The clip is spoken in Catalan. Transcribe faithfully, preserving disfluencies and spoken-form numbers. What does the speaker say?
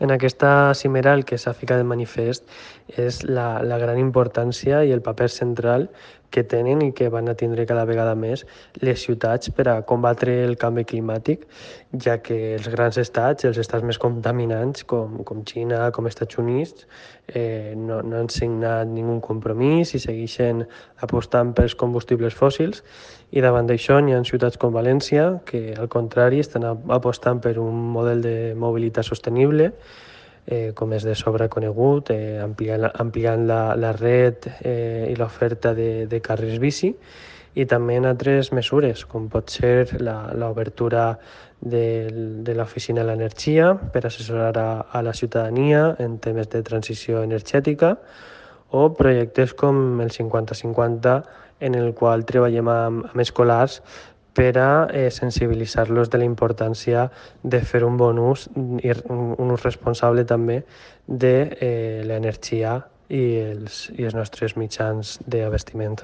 En aquesta cimera el que s'ha ficat de manifest és la, la gran importància i el paper central que tenen i que van a tindre cada vegada més les ciutats per a combatre el canvi climàtic, ja que els grans estats, els estats més contaminants, com, com Xina, com Estats Units, eh, no, no han signat ningú compromís i segueixen apostant pels combustibles fòssils, i davant d'això hi ha ciutats com València que, al contrari, estan apostant per un model de mobilitat sostenible, eh, com és de sobre conegut, eh, ampliant, ampliant la, la red eh, i l'oferta de, de carrils bici, i també en altres mesures, com pot ser l'obertura de, de l'Oficina de l'Energia per assessorar a, a la ciutadania en temes de transició energètica, o projectes com el cinquanta cinquanta, en el qual treballem amb, amb escolars per a eh, sensibilitzar-los de la importància de fer un bon ús i un ús responsable també de eh, l'energia i els, i els nostres mitjans d'abastiment.